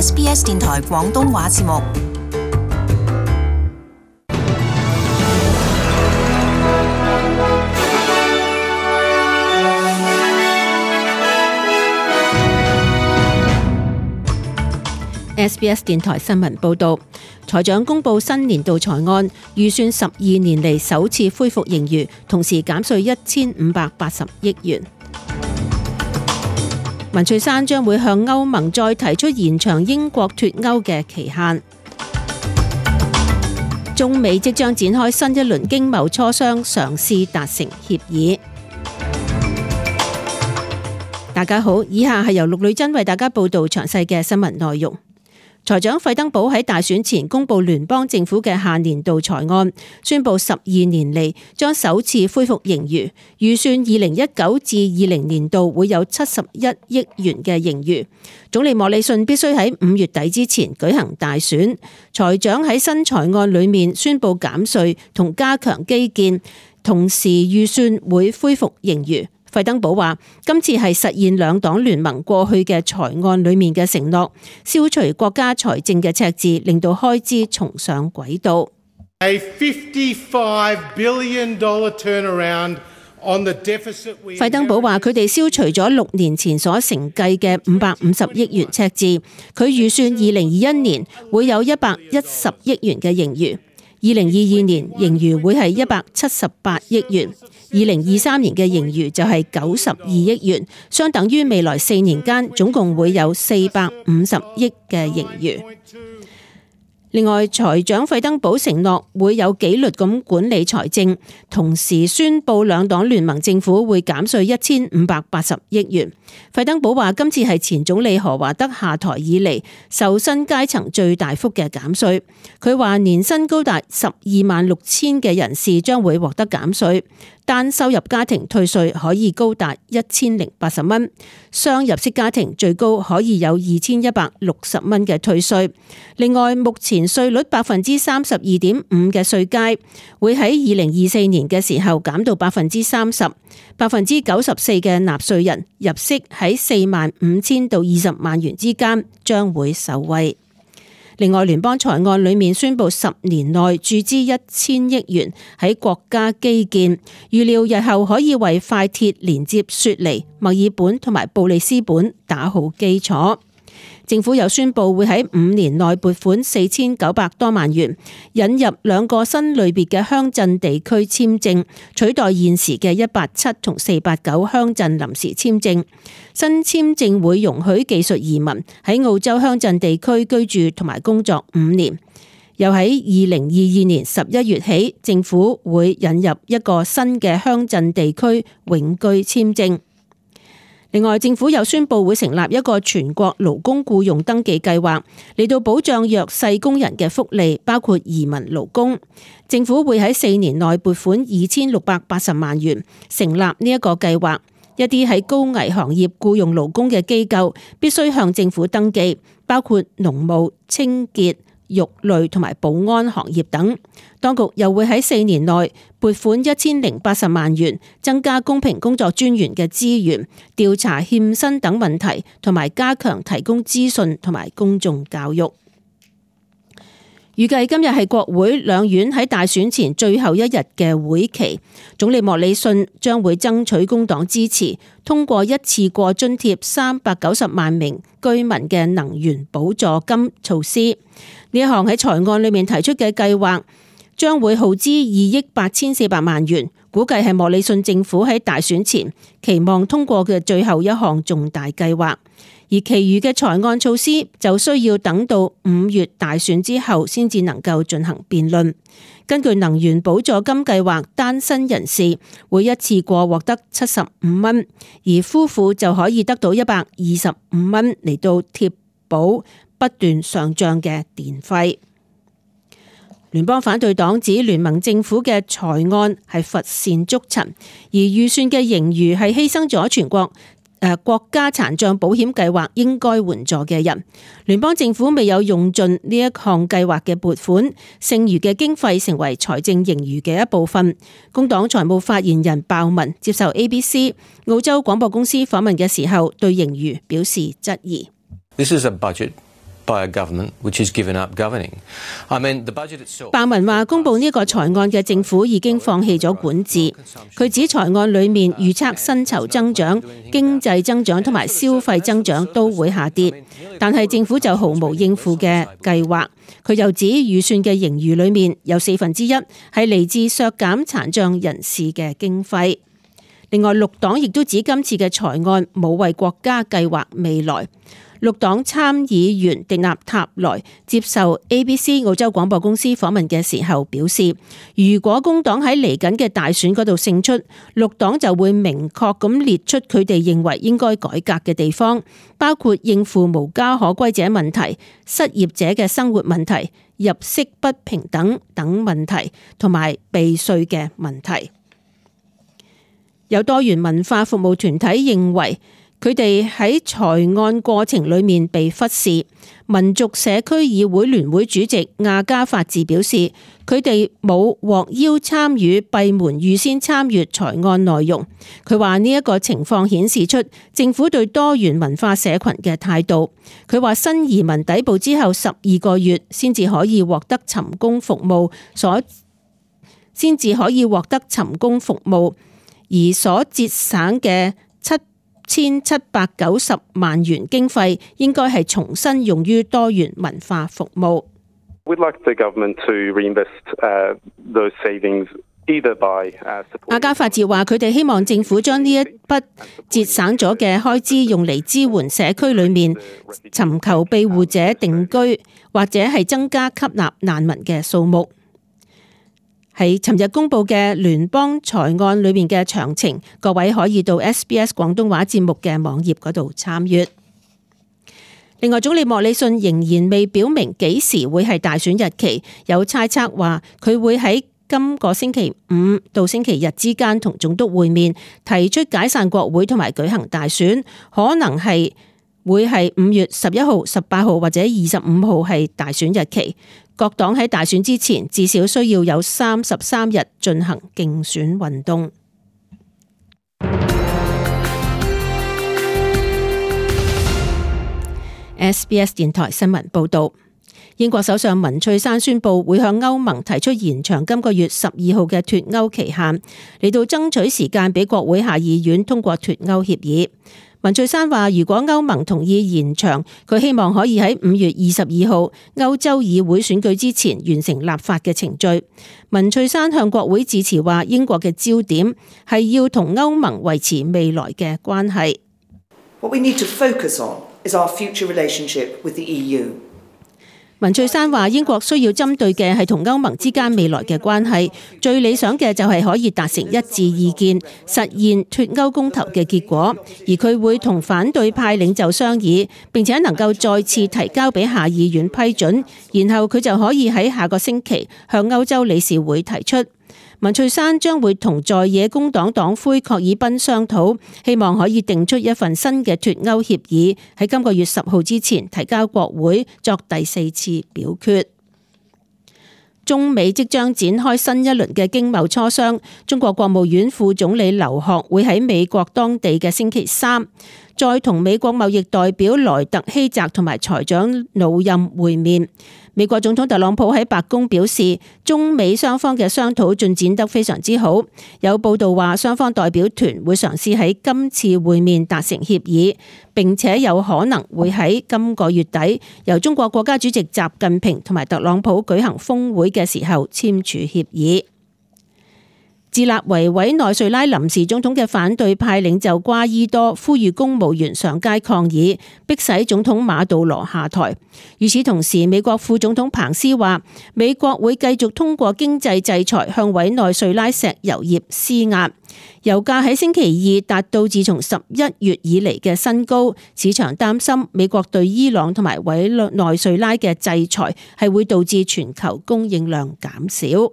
SBS 電台廣東話節目。SBS 電台新聞報導，財長公布新年度財案，預算12年嚟首次恢復盈餘，同時減稅1580億元。文翠珊將會向歐盟再提出延長英國脫歐嘅期限。中美即將展開新一輪經貿磋商，嘗試達成協議。大家好，以下係由陸女珍為大家報導詳細嘅新聞內容。財長費登堡喺大選前公布聯邦政府嘅下年度財案，宣布12年嚟將首次恢復盈餘，預算2019至20年度會有71億元嘅盈餘。總理莫里遜必須喺5月底之前舉行大選。財長喺新財案裏面宣布減稅同加強基建，同時預算會恢復盈餘。費登堡話：今次係實現兩黨聯盟過去嘅財案裏面嘅承諾，消除國家財政嘅赤字，令到開支重上軌道。費登堡話：佢哋消除咗6年前所承計嘅550億元赤字，佢預算2021年會有110億元嘅盈餘。2022年盈餘會係178億元，2023年嘅盈餘就係92億元，相等於未來4年間總共會有450億嘅盈餘。另外，財長費登堡承諾會有紀律咁管理財政，同時宣布兩黨聯盟政府會減稅1580億元。費登堡話：今次係前總理何華德下台以嚟受薪階層最大幅嘅減稅。佢話年薪高達126000嘅人士將會獲得減稅，單收入家庭退稅可以高達1080蚊，雙入息家庭最高可以有2160蚊嘅退稅。另外，目前稅率32.5%嘅稅階會喺2024年嘅時候減到30%，94%嘅納稅人入息喺45000到20萬元之間將會受惠。另外，聯邦財案裏面宣布10年內注資1000億元喺國家基建，預料日後可以為快鐵連接雪梨、墨爾本同埋布里斯本打好基礎。政府又宣布會喺5年內撥款4900多萬元，引入2個新類別嘅鄉鎮地區簽證，取代現時嘅187同489鄉鎮臨時簽證。新簽證會容許技術移民喺澳洲鄉鎮地區居住同埋工作5年。又喺2022年11月起，政府會引入一個新嘅鄉鎮地區永居簽證。另外，政府又宣布會成立一個全國勞工僱用登記計劃，嚟到保障弱勢工人嘅福利，包括移民勞工。政府會喺4年內撥款2680萬元，成立呢一個計劃。一啲喺高危行業僱用勞工嘅機構必須向政府登記，包括農務、清潔、肉類同埋保安行業等。當局又會喺4年內撥款1080萬元，增加公平工作專員嘅資源，調查欠薪等問題，同埋加強提供資訊同埋公眾教育。預計今日係國會兩院喺大選前最後一日嘅會期，總理莫里遜將會爭取工黨支持，通過一次過津貼390萬名居民嘅能源補助金措施。呢一項喺財案裏面提出嘅計劃，將會耗資2億8400萬元，估計係莫里遜政府喺大選前期望通過嘅最後一項重大計劃。而其餘嘅財案措施就需要等到5月大選之後先至能夠進行辯論。根據能源補助金計劃，單身人士會一次過獲得75蚊，而夫婦就可以得到125蚊嚟到貼補不斷上漲嘅電費。聯邦反對黨指聯盟政府嘅財案係乏善足陳，而預算嘅盈餘係犧牲咗全國國家殘障保險計劃應該援助嘅人。聯邦政府未有用盡呢一項計劃嘅撥款，剩餘嘅經費成為財政盈餘嘅一部分。工黨財務發言人鮑文接受 ABC 澳洲廣播公司訪問嘅時候，對盈餘表示質疑。This is a budget 鮑文話公布呢個財案嘅政府已經放棄咗管治。佢指財案裏面預測薪酬增長、經濟增長同埋消費增長都會下跌，但係政府就毫無應付嘅計劃。佢又指預算嘅盈餘裏面有1/4係嚟自削減殘障人士嘅經費。另外，綠黨亦都指今次嘅財案冇為國家計劃未來。綠黨參議員迪納塔萊接受 ABC 澳洲廣播公司訪問嘅時候表示，如果工黨喺嚟緊嘅大選嗰度勝出，綠黨就會明確咁列出佢哋認為應該改革嘅地方，包括應付無家可歸者問題、失業者嘅生活問題、入息不平等等問題，同埋避稅嘅問題。有多元文化服務團體認為，佢哋喺財案過程裏面被忽視。民族社區議會聯會主席亞加法治表示，佢哋冇獲邀參與閉門預先參閱財案內容。佢話呢一個情況顯示出政府對多元文化社群嘅態度。佢話新移民抵埗之後12個月先至可以獲得尋工服務，而所節省嘅7790萬元經費應該係重新用於多元文化服務。亞加法治話佢哋希望政府將呢一筆節省咗嘅開支用嚟支援社區裏面尋求庇護者定居，或者係增加吸納難民嘅數目。喺尋日公布嘅聯邦財案裏面嘅詳情，各位可以到 SBS 廣東話節目嘅網頁嗰度參閱。另外，總理莫里遜仍然未表明幾時會係大選日期，有猜測話佢會喺今個星期5到星期日之間同總督會面，提出解散國會同埋舉行大選，可能係會係5月11號、18號或者25號係大選日期。各黨喺大選之前至少需要有33日進行競選運動。SBS 電台新聞報道，英國首相文翠珊宣布會向歐盟提出延長今個月12號嘅脫歐期限，嚟到爭取時間俾國會下議院通過脫歐協議。文翠珊話，如果歐盟同意延長，佢希望可以喺5月22號歐洲議會選舉之前完成立法嘅程序。文翠珊向國會致辭話，英國嘅焦點係要同歐盟維持未來嘅關係。What we need to focus on is our future relationship with the EU. 文翠珊話，英國需要針對嘅係同歐盟之間未來嘅關係，最理想嘅就係可以達成一致意見，實現脫歐公投嘅結果。而佢會同反對派領袖商議，並且能夠再次提交俾下議院批准，然後佢就可以喺下個星期向歐洲理事會提出。文翠珊將會同在野工黨黨魁郝爾賓商討，希望可以定出一份新嘅脫歐協議，喺今個月10號之前提交國會作第4次表決。中美即將展開新一輪嘅經貿磋商，中國國務院副總理劉鶴會喺美國當地嘅星期3再同美國貿易代表萊特希澤同埋財長魯任會面。美國總統特朗普喺白宮表示，中美雙方嘅商討進展得非常之好。有報道話，雙方代表團會嘗試喺今次會面達成協議，並且有可能會喺今個月底由中國國家主席習近平同埋特朗普舉行峰會嘅時候簽署協議。自立為委內瑞拉臨時總統嘅反對派領袖瓜伊多呼籲公務員上街抗議，迫使總統馬杜羅下台。與此同時，美國副總統彭斯話，美國會繼續通過經濟制裁向委內瑞拉石油業施壓。油價喺星期二達到自從11月以嚟嘅新高，市場擔心美國對伊朗同埋委內瑞拉嘅制裁係會導致全球供應量減少。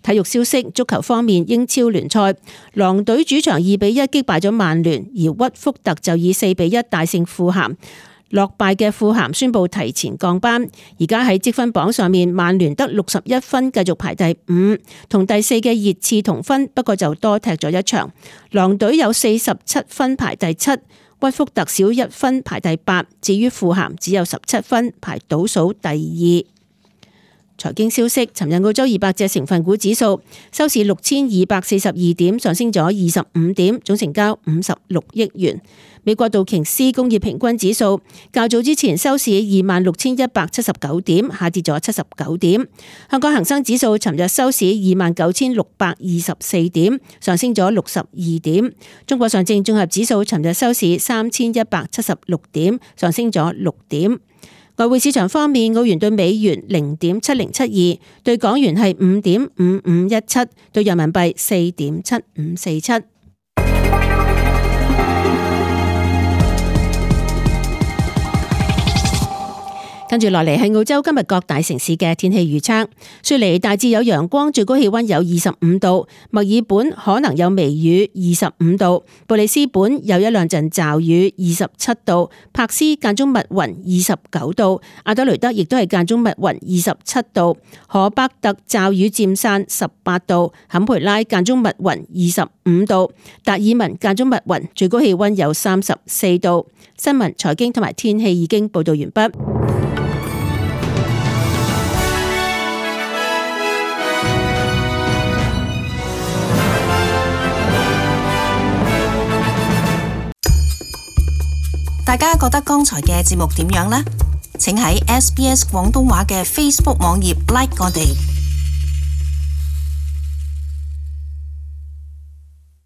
體育消息，足球方面，英超聯賽，狼隊主場2-1擊敗咗曼聯，而屈福特就以4-1大勝富咸。落敗嘅富咸宣布提前降班，而家喺積分榜上面，曼聯得61分，繼續排第5，同第4嘅熱刺同分，不過就多踢咗一場。狼隊有47分排第7，屈福特少1分排第8，至於富咸只有17分排倒數第2。財經消息，尋日澳洲200隻成分股指數收市6242點，上升咗25點，總成交56億元。美國道瓊斯工業平均指數較早之前收市26,179點，下跌咗79點。香港恒生指數尋日收市29,624點，上升咗62點。中國上證綜合指數尋日收市3,176點，上升咗6點。外匯市場方面，澳元對美元0.7072，對港元係5.5517，對人民幣4.7547。跟住落嚟係澳洲今日各大城市嘅天氣預測。雪梨大致有陽光，最高氣溫有25度；墨爾本可能有微雨，25度；布里斯本有一兩陣驟雨，27度；柏斯間中密雲，29度；阿德雷德亦都係間中密雲，27度；荷伯特驟雨漸散，18度；坎培拉間中密雲，25度；達爾文間中密雲，最高氣溫有34度。新聞、財經同埋天氣已經報道完畢。大家覺得剛才嘅節目點樣呢？請喺SBS 廣東話嘅 Facebook 網頁 like 我哋。